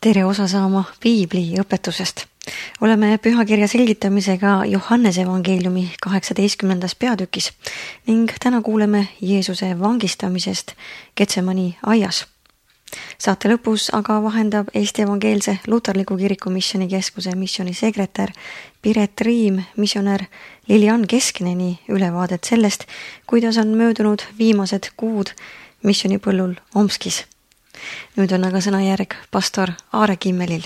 tere osa saama piibli õpetusest. Oleme pühakirja selgitamisega Johannese evangeeliumi 18. peatükis ning täna kuuleme Jeesuse vangistamisest Getsemani aias. Saate lõpus aga vahendab Eesti Evangeelse Luterliku Kiriku Missioonikeskuse missionisekretär Piret Riim missionär Lilian Keskneni ülevaadet sellest, kuidas on möödunud viimased kuud missionipõllul Omskis. Nüüd on aga sõnajärg pastor Aare Kimmelil.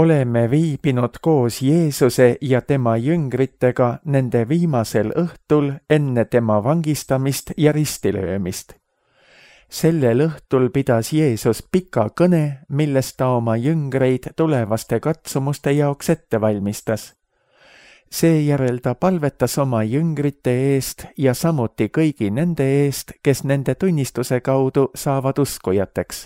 Oleme viibinud koos Jeesuse ja tema jüngritega nende viimasel õhtul enne tema vangistamist ja ristilöömist. Sellel õhtul pidas Jeesus pika kõne, milles ta oma jüngreid tulevaste katsumuste jaoks ette valmistas. Seejärel ta palvetas oma jüngrite eest ja samuti kõigi nende eest, kes nende tunnistuse kaudu saavad uskujateks.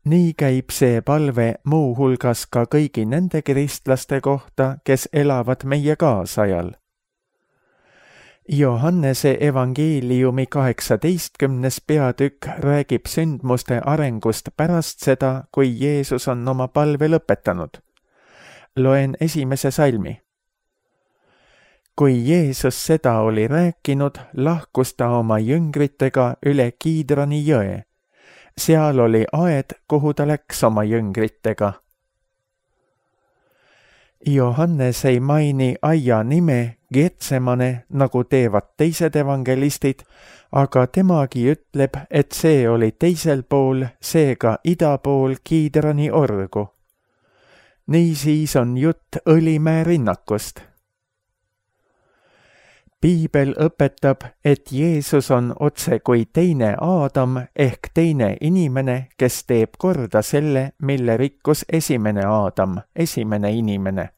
Nii käib see palve muu hulgas ka kõigi nende kristlaste kohta, kes elavad meie kaasajal. Johannese evangeeliumi 18. peatükk räägib sündmuste arengust pärast seda, kui Jeesus on oma palve lõpetanud. Loen 1. salmi. Kui Jeesus seda oli rääkinud, lahkus ta oma jüngritega üle Kiidroni jõe. Seal oli aed, kuhu ta läks oma jüngritega. Johannes ei maini aia nime Getsemane, nagu teevad teised evangelistid, aga temagi ütleb, et see oli teisel pool, seega ida pool Kiidroni orgu. Niisiis on jutt Õlimäe rinnakust. Piibel õpetab, et Jeesus on otse kui teine Aadam ehk teine inimene, kes teeb korda selle, mille rikkus esimene Aadam, esimene inimene.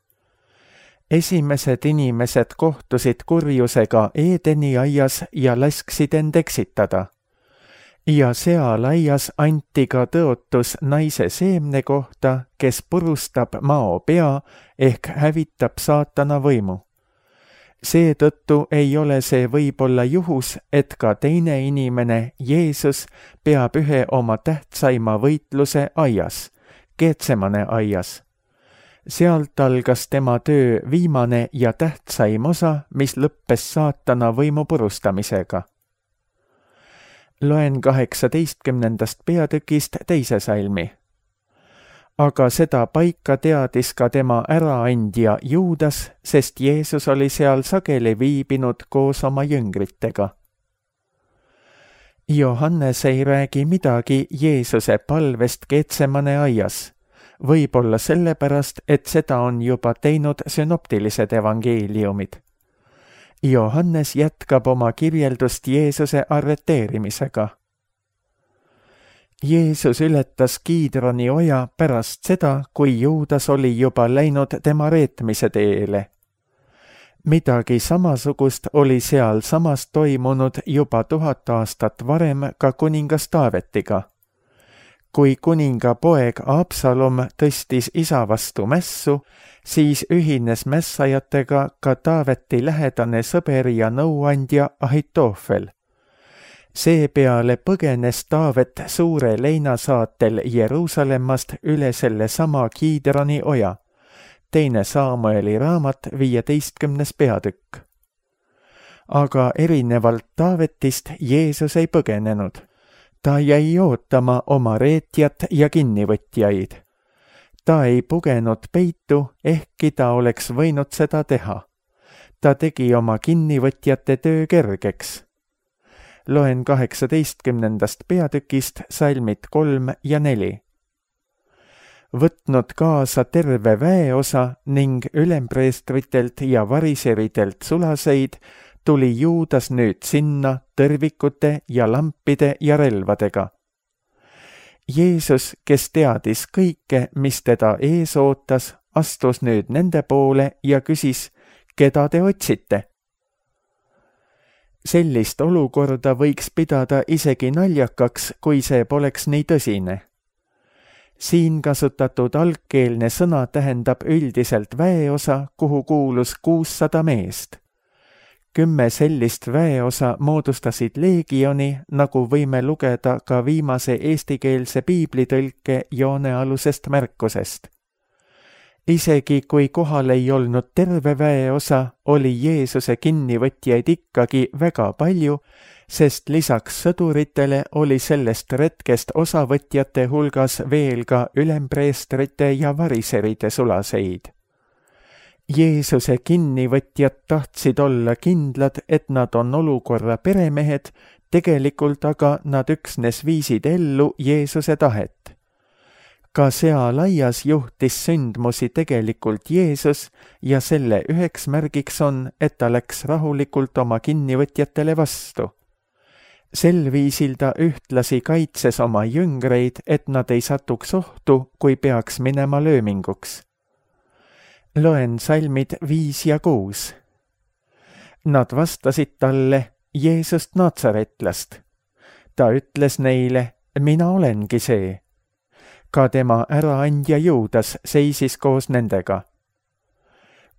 Esimesed inimesed kohtusid kurjusega Eedeni aias ja lasksid end eksitada. Ja seal aias anti ka tõotus naise seemne kohta, kes purustab mao pea ehk hävitab saatana võimu. Seetõttu ei ole see võib-olla juhus, et ka teine inimene, Jeesus, peab ühe oma tähtsaima võitluse aias, Getsemane aias. Sealt algas tema töö viimane ja tähtsaim osa, mis lõppes saatana võimu purustamisega. Loen 18. peatükist 2. salmi. Aga seda paika teadis ka tema äraandja Juudas, sest Jeesus oli seal sageli viibinud koos oma jüngritega. Johannes ei räägi midagi Jeesuse palvest Getsemane aias, võib-olla sellepärast, et seda on juba teinud synoptilised evangeeliumid. Johannes jätkab oma kirjeldust Jeesuse arreteerimisega. Jeesus ületas Kiidroni oja pärast seda, kui Juudas oli juba läinud tema reetmise teele. Midagi samasugust oli seal samas toimunud juba 1000 aastat varem ka kuningas Taavetiga. Kui kuninga poeg Absalom tõstis isa vastu mässu, siis ühines mässajatega ka Taaveti lähedane sõber ja nõuandja Ahitofel. Seepeale põgenes Taavet suure leinasaatel Jeruusalemmast üle selle sama Kiidroni oja. 2. Samueli raamat 15. peatükk. Aga erinevalt Taavetist Jeesus ei põgenenud. Ta jäi ootama oma reetjat ja kinnivõtjaid. Ta ei pugenud peitu, ehkki ta oleks võinud seda teha. Ta tegi oma kinnivõtjate töö kergeks. Loen 18. peatükist salmid 3 ja 4. Võtnud kaasa terve väeosa ning ülempreestritelt ja variseridelt sulaseid, tuli Juudas nüüd sinna tõrvikute ja lampide ja relvadega. Jeesus, kes teadis kõike, mis teda ees ootas, astus nüüd nende poole ja küsis, keda te otsite? Sellist olukorda võiks pidada isegi naljakaks, kui see poleks nii tõsine. Siin kasutatud algkeelne sõna tähendab üldiselt väeosa, kuhu kuulus 600 meest. 10 sellist väeosa moodustasid leegioni, nagu võime lugeda ka viimase eestikeelse piiblitõlke joonealusest märkusest. Isegi kui kohal ei olnud terve väeosa, oli Jeesuse kinnivõtjaid ikkagi väga palju, sest lisaks sõduritele oli sellest retkest osavõtjate hulgas veel ka ülempreestrite ja variseride sulaseid. Jeesuse kinnivõtjad tahtsid olla kindlad, et nad on olukorra peremehed, tegelikult aga nad üksnes viisid ellu Jeesuse tahet. Ka sealaias juhtis sündmusi tegelikult Jeesus ja selle üheks märgiks on, et ta läks rahulikult oma kinnivõtjatele vastu. Sel viisil ta ühtlasi kaitses oma jüngreid, et nad ei satuks ohtu, kui peaks minema lööminguks. Loen salmid 5 ja 6. Nad vastasid talle Jeesust Natsaretlast. Ta ütles neile, mina olengi see. Ka tema äraandja Juudas seisis koos nendega.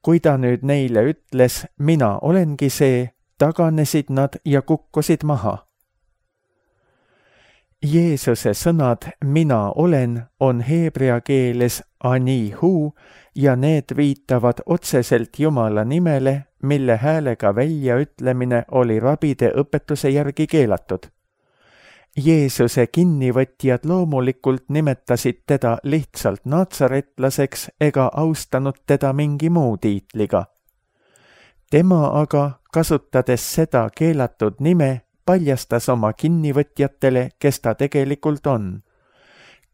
Kui ta nüüd neile ütles, mina olengi see, taganesid nad ja kukkusid maha. Jeesuse sõnad mina olen on heebrea keeles anihu ja need viitavad otseselt Jumala nimele, mille häälega väljaütlemine oli rabide õpetuse järgi keelatud. Jeesuse kinnivõtjad loomulikult nimetasid teda lihtsalt natsaretlaseks ega austanud teda mingi muu tiitliga. Tema aga, kasutades seda keelatud nime, paljastas oma kinnivõtjatele, kes ta tegelikult on.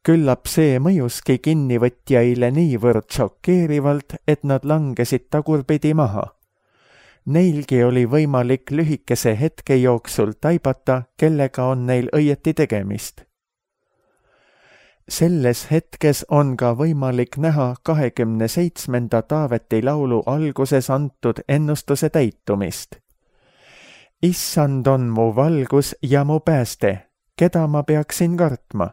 Küllap see mõjuski kinnivõtjaile niivõrd šokeerivalt, et nad langesid tagurpidi maha. Neilgi oli võimalik lühikese hetke jooksul taibata, kellega on neil õieti tegemist. Selles hetkes on ka võimalik näha 27. Taaveti laulu alguses antud ennustuse täitumist. Issand on mu valgus ja mu pääste, keda ma peaksin kartma.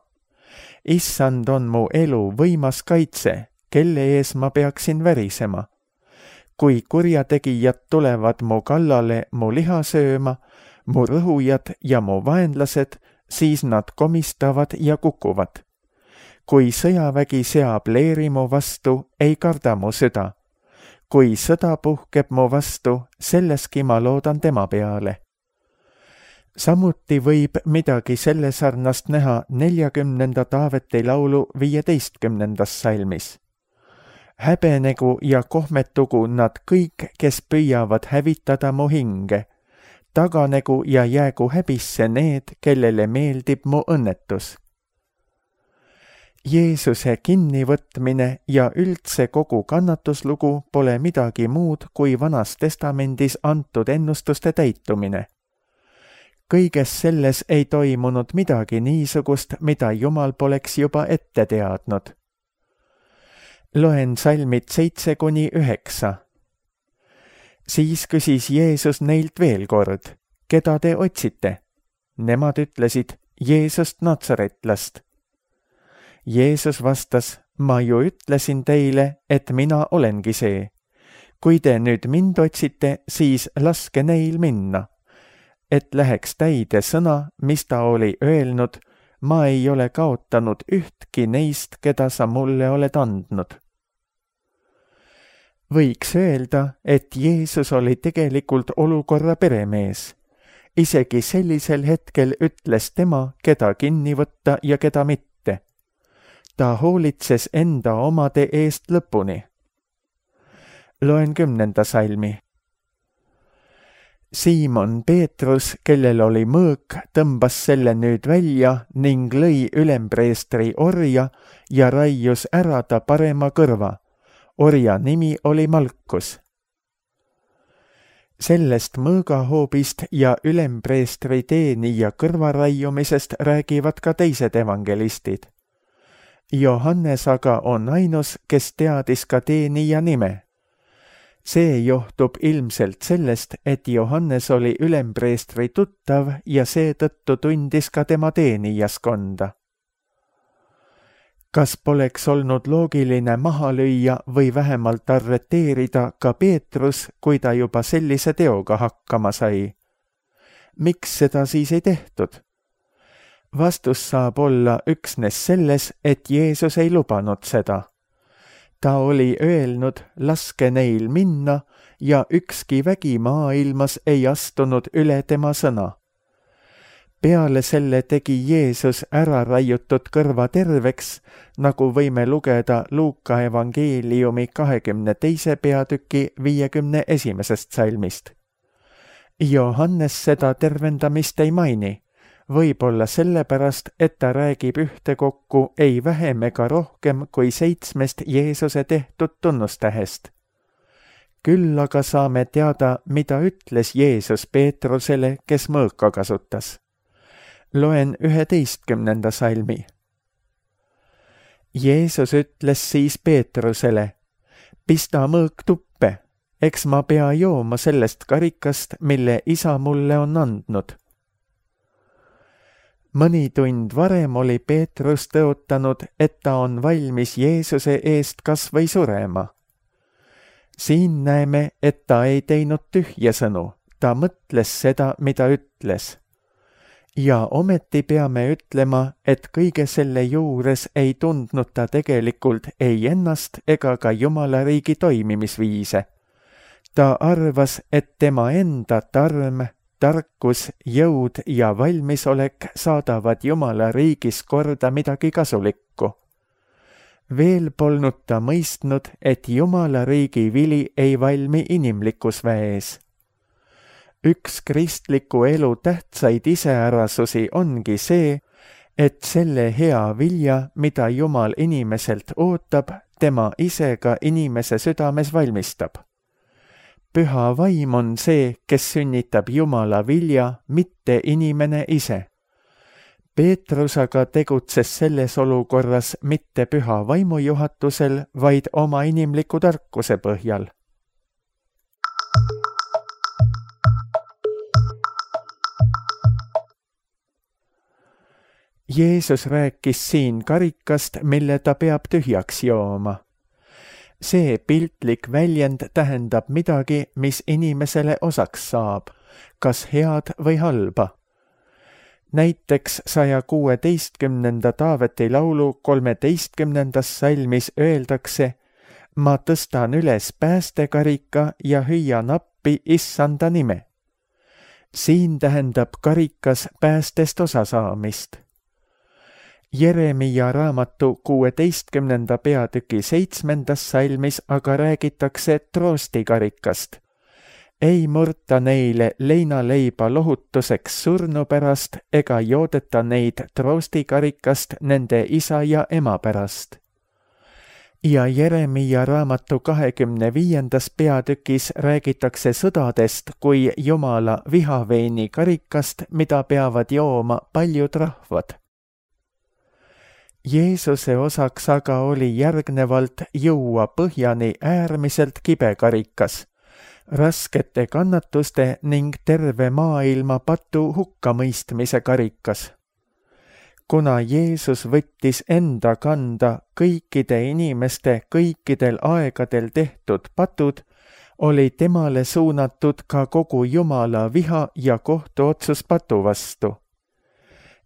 Issand on mu elu võimas kaitse, kelle ees ma peaksin värisema. Kui kurjategijad tulevad mu kallale mu liha sööma, mu rõhujad ja mu vaenlased, siis nad komistavad ja kukuvad. Kui sõjavägi seab leeri mu vastu, ei karda mu süda. Kui sõda puhkeb mu vastu, selleski ma loodan tema peale. Samuti võib midagi selle sarnast näha 40. Taaveti laulu 15. salmis. Häbenegu ja kohmetugu nad kõik, kes püüavad hävitada mu hinge. Taganegu ja jäägu häbisse need, kellele meeldib mu õnnetus. Jeesuse kinnivõtmine ja üldse kogu kannatuslugu pole midagi muud kui Vanas Testamendis antud ennustuste täitumine. Kõiges selles ei toimunud midagi niisugust, mida Jumal poleks juba ette teadnud. Loen salmid 7-9. Siis küsis Jeesus neilt veel kord, keda te otsite? Nemad ütlesid, Jeesust Natsaretlast. Jeesus vastas, ma ju ütlesin teile, et mina olengi see. Kui te nüüd mind otsite, siis laske neil minna. Et läheks täide sõna, mis ta oli öelnud, ma ei ole kaotanud ühtki neist, keda sa mulle oled andnud. Võiks öelda, et Jeesus oli tegelikult olukorra peremees. Isegi sellisel hetkel ütles tema, keda kinni võtta ja keda mitte. Ta hoolitses enda omade eest lõpuni. Loen 10. salmi. Siimon Peetrus, kellel oli mõõk, tõmbas selle nüüd välja ning lõi ülempreestri orja ja raius ära ta parema kõrva. Orja nimi oli Malkus. Sellest mõõgahoobist ja ülempreestri teenija kõrvaraiumisest räägivad ka teised evangelistid. Johannes aga on ainus, kes teadis ka teenija nime. See johtub ilmselt sellest, et Johannes oli ülempreestri tuttav ja seetõttu tundis ka tema teenijaskonda. Kas poleks olnud loogiline maha lüüa või vähemalt arreteerida ka Peetrus, kui ta juba sellise teoga hakkama sai? Miks seda siis ei tehtud? Vastus saab olla üksnes selles, et Jeesus ei lubanud seda. Ta oli öelnud, laske neil minna, ja ükski vägi maailmas ei astunud üle tema sõna. Peale selle tegi Jeesus ära raiutud kõrva terveks, nagu võime lugeda Luuka evangeeliumi 22. peatüki 51. salmist. Johannes seda tervendamist ei maini, võib-olla sellepärast, et ta räägib ühtekokku ei vähem ega rohkem kui 7 Jeesuse tehtud tunnustähest. Küll aga saame teada, mida ütles Jeesus Peetrusele, kes mõõka kasutas. Loen 11. salmi. Jeesus ütles siis Peetrusele, pista mõõk tuppe, eks ma pea jooma sellest karikast, mille isa mulle on andnud. Mõni tund varem oli Peetrus tõotanud, et ta on valmis Jeesuse eest kas või surema. Siin näeme, et ta ei teinud tühja sõnu, ta mõtles seda, mida ütles. Ja ometi peame ütlema, et kõige selle juures ei tundnud ta tegelikult ei ennast ega ka Jumala riigi toimimisviise. Ta arvas, et tema enda tarm, tarkus, jõud ja valmisolek saadavad Jumala riigis korda midagi kasulikku. Veel polnud ta mõistnud, et Jumala riigi vili ei valmi inimlikus väes. Üks kristliku elu tähtsaid iseärasusi ongi see, et selle hea vilja, mida Jumal inimeselt ootab, tema ise ka inimese südames valmistab. Püha vaim on see, kes sünnitab Jumala vilja, mitte inimene ise. Peetrus aga tegutses selles olukorras mitte püha vaimu juhatusel, vaid oma inimliku tarkuse põhjal. Jeesus rääkis siin karikast, mille ta peab tühjaks jooma. See piltlik väljend tähendab midagi, mis inimesele osaks saab, kas head või halba. Näiteks 116. Taaveti laulu 13. salmis öeldakse, ma tõstan üles päästekarika ja hüüan appi issanda nime. Siin tähendab karikas päästest osasaamist. Jeremia raamatu 16. peatüki 7. salmis aga räägitakse troostikarikast. Ei murta neile leinaleiba lohutuseks surnu pärast ega joodeta neid troostikarikast nende isa ja ema pärast. Ja Jeremia raamatu 25. peatükis räägitakse sõdadest kui Jumala vihaveini karikast, mida peavad jooma paljud rahvad. Jeesuse osaks aga oli järgnevalt juua põhjani äärmiselt kibe karikas, raskete kannatuste ning terve maailma patu hukkamõistmise karikas. Kuna Jeesus võttis enda kanda kõikide inimeste kõikidel aegadel tehtud patud, oli temale suunatud ka kogu Jumala viha ja kohtuotsus patu vastu.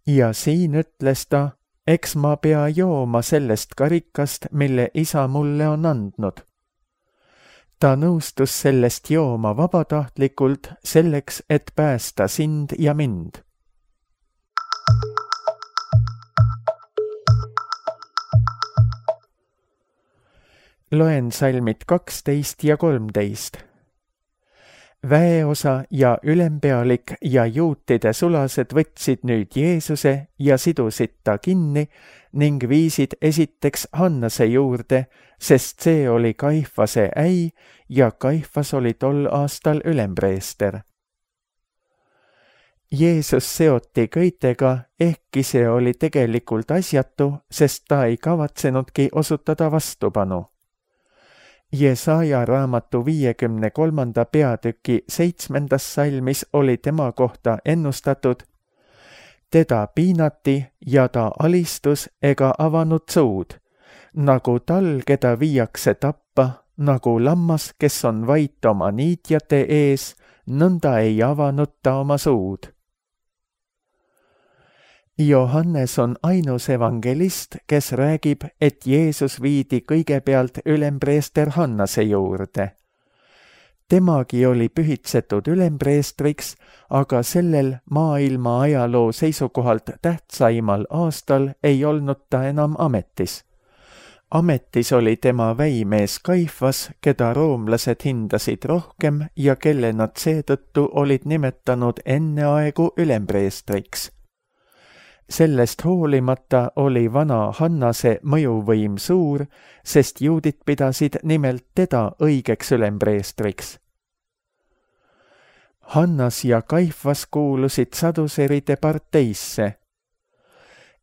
Ja siin ütles ta, eks ma pea jooma sellest karikast, mille isa mulle on andnud. Ta nõustus sellest jooma vabatahtlikult selleks, et päästa sind ja mind. Loen salmid 12 ja 13. Väeosa ja ülempealik ja juutide sulased võtsid nüüd Jeesuse ja sidusid ta kinni ning viisid esiteks Hannase juurde, sest see oli Kaifase äi ja Kaifas oli tol aastal ülempreester. Jeesus seoti köitega, ehkki see oli tegelikult asjatu, sest ta ei kavatsenudki osutada vastupanu. Jesaja raamatu 53. peatüki 7. salmis oli tema kohta ennustatud, teda piinati ja ta alistus ega avanud suud, nagu tal, keda viiakse tappa, nagu lammas, kes on vait oma niitjate ees, nõnda ei avanud ta oma suud. Johannes on ainus evangelist, kes räägib, et Jeesus viidi kõigepealt ülempreester Hannase juurde. Temagi oli pühitsetud ülempreestriks, aga sellel maailma ajaloo seisukohalt tähtsaimal aastal ei olnud ta enam ametis. Ametis oli tema väimees Kaifas, keda roomlased hindasid rohkem ja kelle nad seetõttu olid nimetanud enneaegu ülempreestriks. Sellest hoolimata oli vana Hannase mõjuvõim suur, sest juudid pidasid nimelt teda õigeks ülempreestriks. Hannas ja Kaifas kuulusid saduseride parteisse.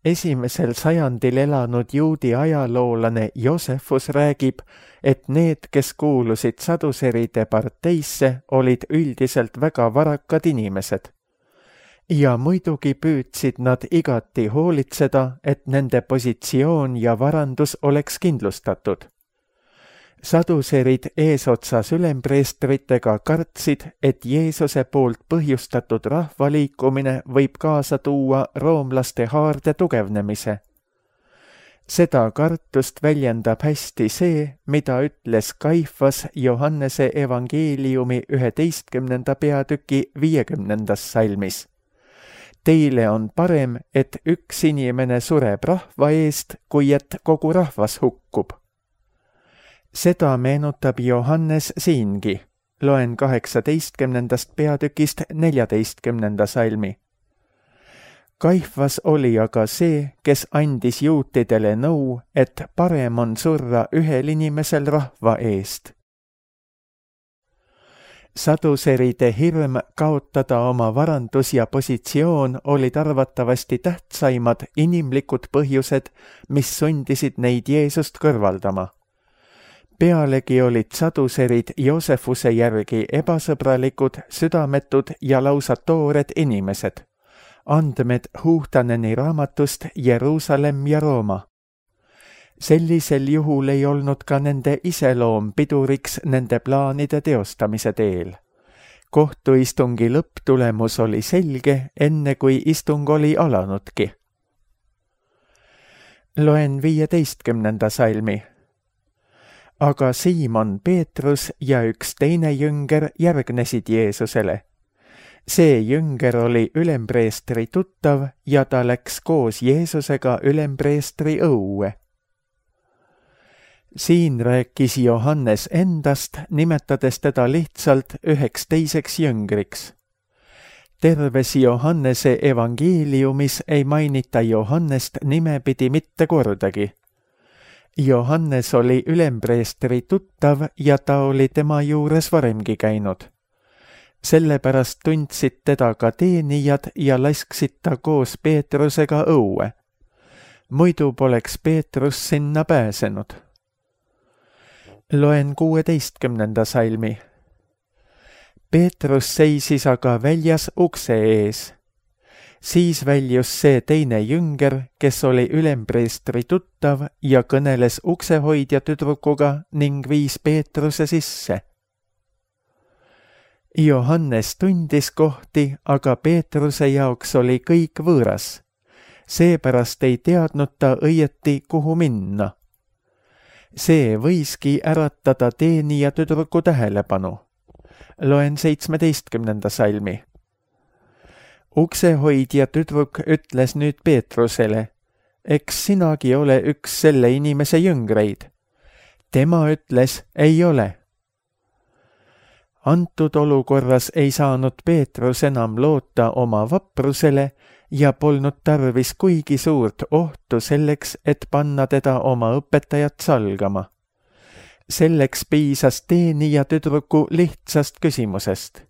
Esimesel sajandil elanud juudi ajaloolane Joosefus räägib, et need, kes kuulusid saduseride parteisse, olid üldiselt väga varakad inimesed. Ja muidugi püüdsid nad igati hoolitseda, et nende positsioon ja varandus oleks kindlustatud. Saduserid eesotsas ülempreestritega kartsid, et Jeesuse poolt põhjustatud rahvaliikumine võib kaasa tuua roomlaste haarde tugevnemise. Seda kartust väljendab hästi see, mida ütles Kaifas Johannese evangeeliumi 11. peatüki 50. salmis. Teile on parem, et üks inimene sureb rahva eest, kui et kogu rahvas hukkub. Seda meenutab Johannes siingi. Loen 18. peatükist 14. salmi. Kaifas oli aga see, kes andis juutidele nõu, et parem on surra ühel inimesel rahva eest. Saduseride hirm kaotada oma varandus ja positsioon olid arvatavasti tähtsaimad inimlikud põhjused, mis sundisid neid Jeesust kõrvaldama. Pealegi olid saduserid Joosefuse järgi ebasõbralikud, südametud ja lausa toored inimesed. Andmed Huhtaneni raamatust Jeruusalemm ja Rooma. Sellisel juhul ei olnud ka nende iseloom piduriks nende plaanide teostamise teel. Kohtuistungi lõpptulemus oli selge, enne kui istung oli alanudki. Loen 15. salmi. Aga Siimon Peetrus ja üks teine jünger järgnesid Jeesusele. See jünger oli ülempreestri tuttav ja ta läks koos Jeesusega ülempreestri õue. Siin rääkis Johannes endast, nimetades teda lihtsalt üheks teiseks jüngriks. Terves Johannese evangeeliumis ei mainita Johannest nimepidi mitte kordagi. Johannes oli ülempreestri tuttav ja ta oli tema juures varemgi käinud. Sellepärast tundsid teda ka teenijad ja lasksid ta koos Peetrusega õue. Muidu poleks Peetrus sinna pääsenud. Loen 16. salmi. Peetrus seisis aga väljas ukse ees. Siis väljus see teine jünger, kes oli ülempreestri tuttav ja kõneles uksehoidja tüdrukuga ning viis Peetruse sisse. Johannes tundis kohti, aga Peetruse jaoks oli kõik võõras. Seepärast ei teadnud ta õieti, kuhu minna. See võiski äratada teenija tüdruku tähelepanu. Loen 17. salmi. Uksehoidja tüdruk ütles nüüd Peetrusele, eks sinagi ole üks selle inimese jüngreid. Tema ütles, ei ole. Antud olukorras ei saanud Peetrus enam loota oma vaprusele ja polnud tarvis kuigi suurt ohtu selleks, et panna teda oma õpetajat salgama. Selleks piisas teenija tüdruku lihtsast küsimusest.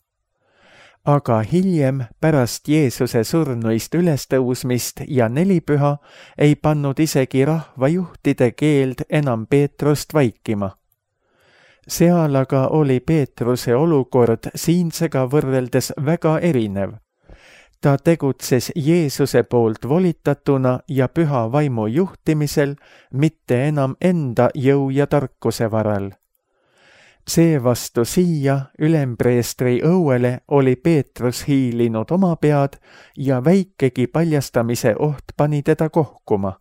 Aga hiljem, pärast Jeesuse surnuist ülestõusmist ja nelipüha, ei pannud isegi rahvajuhtide keeld enam Peetrust vaikima. Seal aga oli Peetruse olukord siinsega võrreldes väga erinev. Ta tegutses Jeesuse poolt volitatuna ja püha vaimu juhtimisel, mitte enam enda jõu ja tarkuse varal. Seevastu siia ülempreestri õuele oli Peetrus hiilinud oma pead ja väikegi paljastamise oht pani teda kohkuma.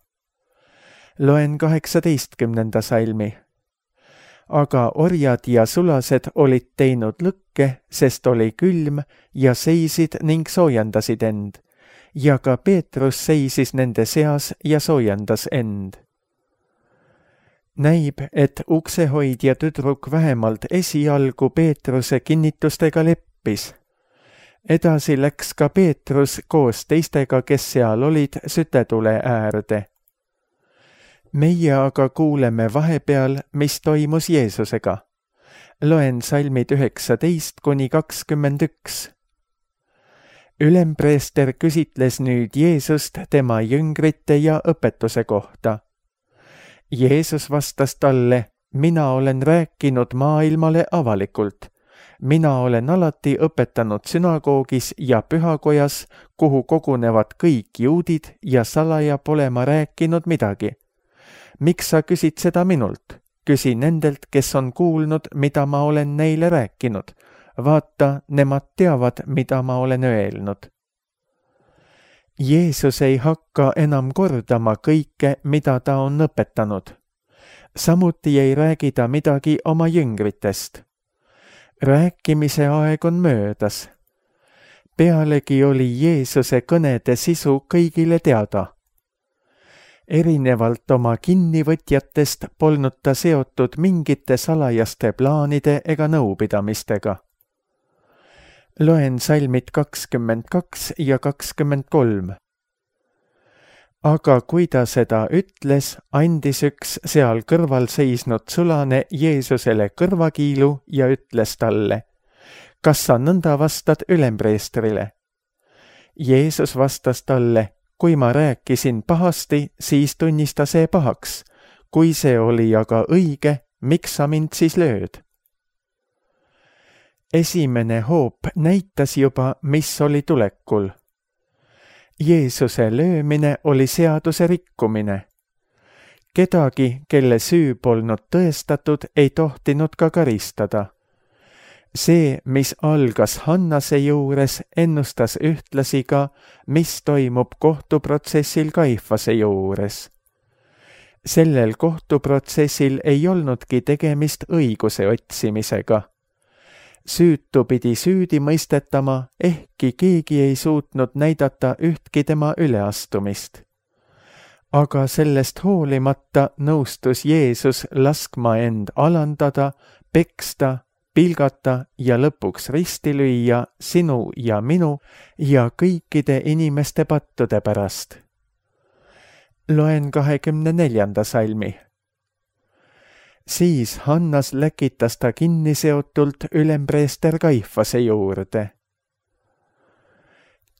Loen 18. salmi. Aga orjad ja sulased olid teinud lõkke, sest oli külm ja seisid ning soojendasid end. Ja ka Peetrus seisis nende seas ja soojendas end. Näib, et uksehoidja tüdruk vähemalt esialgu Peetruse kinnitustega leppis. Edasi läks ka Peetrus koos teistega, kes seal olid, sütetule äärde. Meie aga kuuleme vahepeal, mis toimus Jeesusega. Loen salmid 19-21. Ülempreester küsitles nüüd Jeesust tema jüngrite ja õpetuse kohta. Jeesus vastas talle, mina olen rääkinud maailmale avalikult. Mina olen alati õpetanud sünagoogis ja pühakojas, kuhu kogunevad kõik juudid ja salaja pole ma rääkinud midagi. Miks sa küsid seda minult? Küsi nendelt, kes on kuulnud, mida ma olen neile rääkinud. Vaata, nemad teavad, mida ma olen öelnud. Jeesus ei hakka enam kordama kõike, mida ta on õpetanud. Samuti ei räägi ta midagi oma jüngritest. Rääkimise aeg on möödas. Pealegi oli Jeesuse kõnede sisu kõigile teada. Erinevalt oma kinnivõtjatest polnud ta seotud mingite salajaste plaanide ega nõupidamistega. Loen salmid 22 ja 23. Aga kui ta seda ütles, andis üks seal kõrval seisnud sulane Jeesusele kõrvakiilu ja ütles talle, kas sa nõnda vastad ülempreestrile? Jeesus vastas talle, kui ma rääkisin pahasti, siis tunnista see pahaks. Kui see oli aga õige, miks sa mind siis lööd? Esimene hoop näitas juba, mis oli tulekul. Jeesuse löömine oli seaduse rikkumine. Kedagi, kelle süü polnud tõestatud, ei tohtinud ka karistada. See, mis algas Hannase juures, ennustas ühtlasi ka, mis toimub kohtuprotsessil Kaifase juures. Sellel kohtuprotsessil ei olnudki tegemist õiguse otsimisega. Süütu pidi süüdi mõistetama, ehkki keegi ei suutnud näidata ühtki tema üleastumist. Aga sellest hoolimata nõustus Jeesus laskma end alandada, peksta, pilgata ja lõpuks risti lüüa sinu ja minu ja kõikide inimeste pattude pärast. Loen 24. salmi. Siis Hannas läkitas ta kinniseotult ülempreester Kaifase juurde.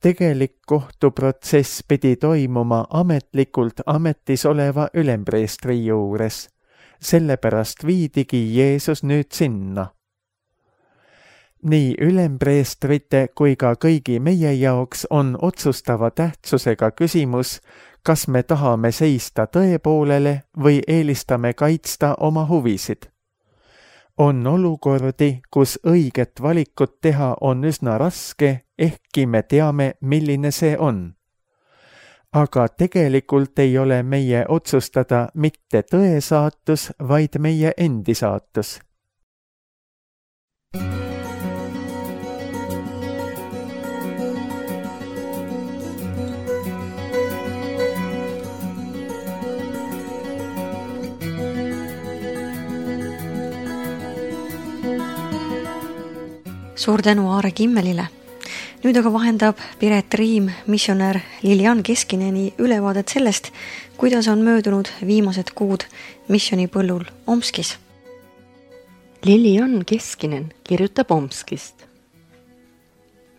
Tegelik kohtuprotsess pidi toimuma ametlikult ametis oleva ülempreestri juures, sellepärast viidigi Jeesus nüüd sinna. Nii ülempreestrite kui ka kõigi meie jaoks on otsustava tähtsusega küsimus, kas me tahame seista tõe poolele või eelistame kaitsta oma huvisid. On olukordi, kus õiget valikut teha on üsna raske, ehkki me teame, milline see on. Aga tegelikult ei ole meie otsustada mitte tõe saatus, vaid meie endi saatus. Suur tänu Aare Kimmelile. Nüüd aga vahendab Piret Riim missionär Lilian Keskineni ülevaadet sellest, kuidas on möödunud viimased kuud missionipõllul Omskis. Lilian Keskinen kirjutab Omskist.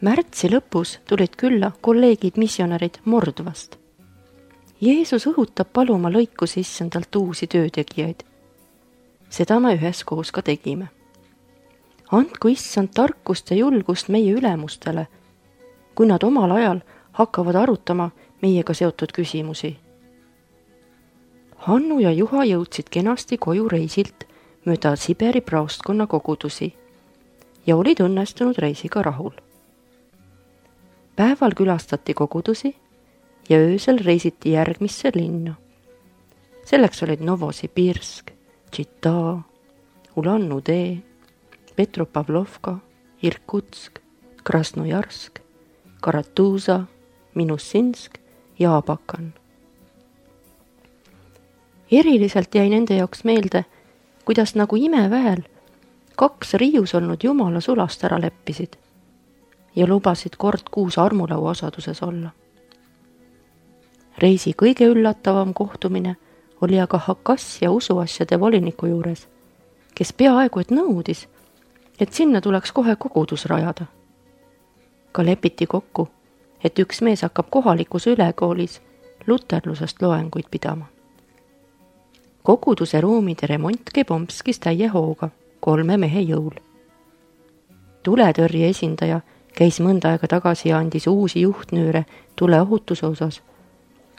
Märtsi lõpus tulid külla kolleegid missionärid Mordvast. Jeesus õhutab paluma lõikus issandalt uusi töötegijaid. Seda me üheskoos ka tegime. Andku issand tarkust ja julgust meie ülemustele, kui nad omal ajal hakkavad arutama meiega seotud küsimusi. Hannu ja Juha jõudsid kenasti koju reisilt mööda Siberi praostkonna kogudusi ja olid õnnestunud reisiga rahul. Päeval külastati kogudusi ja öösel reisiti järgmisse linna. Selleks olid Novosibirsk, Tšita, Ulan-Ude, Petropavlovka, Irkutsk, Krasnojarsk, Karatuza, Minusinsk ja Abakan. Eriliselt jäi nende jaoks meelde, kuidas nagu imeväel 2 riius olnud jumala sulast ära leppisid ja lubasid kord kuus armulaua osaduses olla. Reisi kõige üllatavam kohtumine oli aga Hakassia usuasjade voliniku juures, kes peaaegu et nõudis, et sinna tuleks kohe kogudus rajada. Ka lepiti kokku, et üks mees hakkab kohalikus ülekoolis luterlusest loenguid pidama. Koguduse ruumide remont käib Omskis täie hooga 3 mehe jõul. Tuletõrje esindaja käis mõnda aega tagasi ja andis uusi juhtnüüre tuleohutuse osas,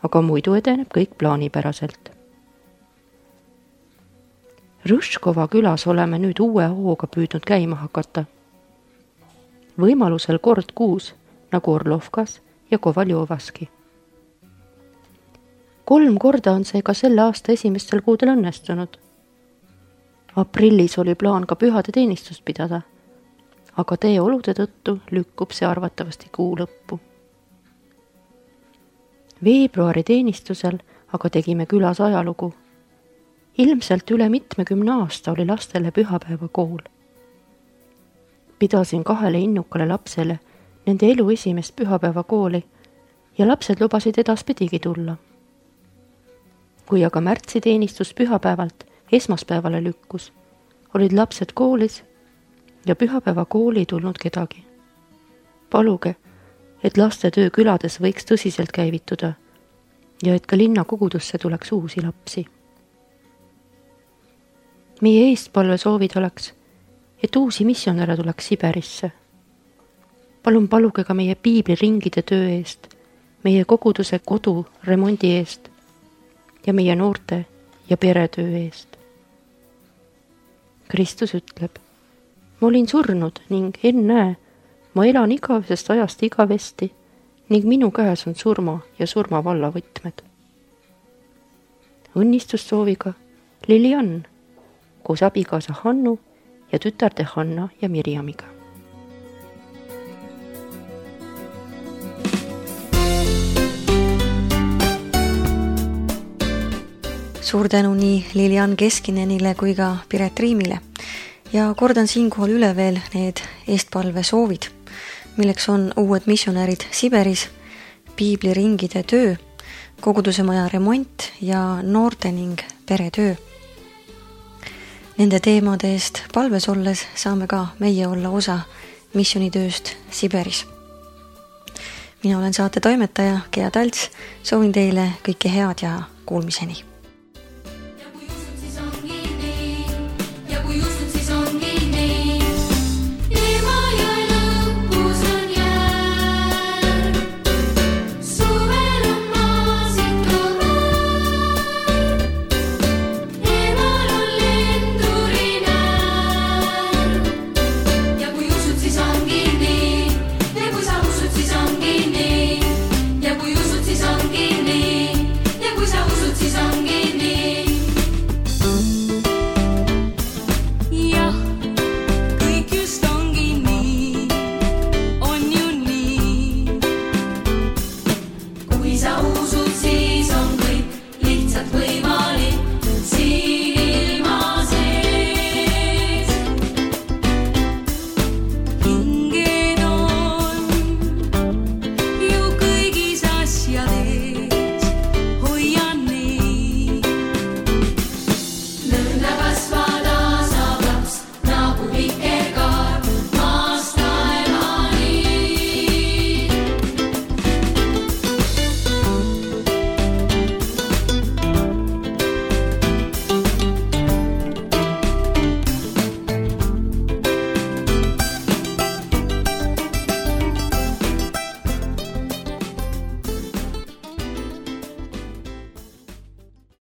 aga muidu edeneb kõik plaanipäraselt. Rõškova külas oleme nüüd uue hooga püüdnud käima hakata. Võimalusel kord kuus, nagu Orlovkas ja Kovaljovaski. 3 korda on see ka selle aasta esimestel kuudel õnnestunud. Aprillis oli plaan ka pühade teenistust pidada, aga teeolude tõttu lükkub see arvatavasti kuu lõppu. Veebruari teenistusel aga tegime külas ajalugu. Ilmselt üle 70 aasta oli lastele pühapäevakool. Pidasin 2 innukale lapsele nende elu esimest pühapäevakooli ja lapsed lubasid edaspidigi tulla. Kui aga märtsiteenistus pühapäevalt esmaspäevale lükkus, olid lapsed koolis ja pühapäevakooli ei tulnud kedagi. Paluge, et laste töö külades võiks tõsiselt käivituda ja et ka linna kogudusse tuleks uusi lapsi. Meie eestpalve soovid oleks, et uusi missionäre tuleks Siberisse. Palun paluge ka meie piibliringide töö eest, meie koguduse kodu remondi eest ja meie noorte ja peretöö eest. Kristus ütleb, ma olin surnud ning ennäe, ma elan igavesest ajast igavesti ning minu käes on surma ja surmavalla võtmed. Õnnistussooviga Lilian koos abikaasa Hannu ja tütarde Hanna ja Mirjamiga. Suur tänu nii Lilian Keskinenile kui ka Piret Riimile ja kordan siinkohal üle veel need eestpalve soovid, milleks on uued missionärid Siberis, piibliringide töö, kogudusemaja remont ja noorte ning peretöö. Nende teemade eest palves olles saame ka meie olla osa missionitööst Siberis. Mina olen saate toimetaja Gea Talts, soovin teile kõike head ja kuulmiseni.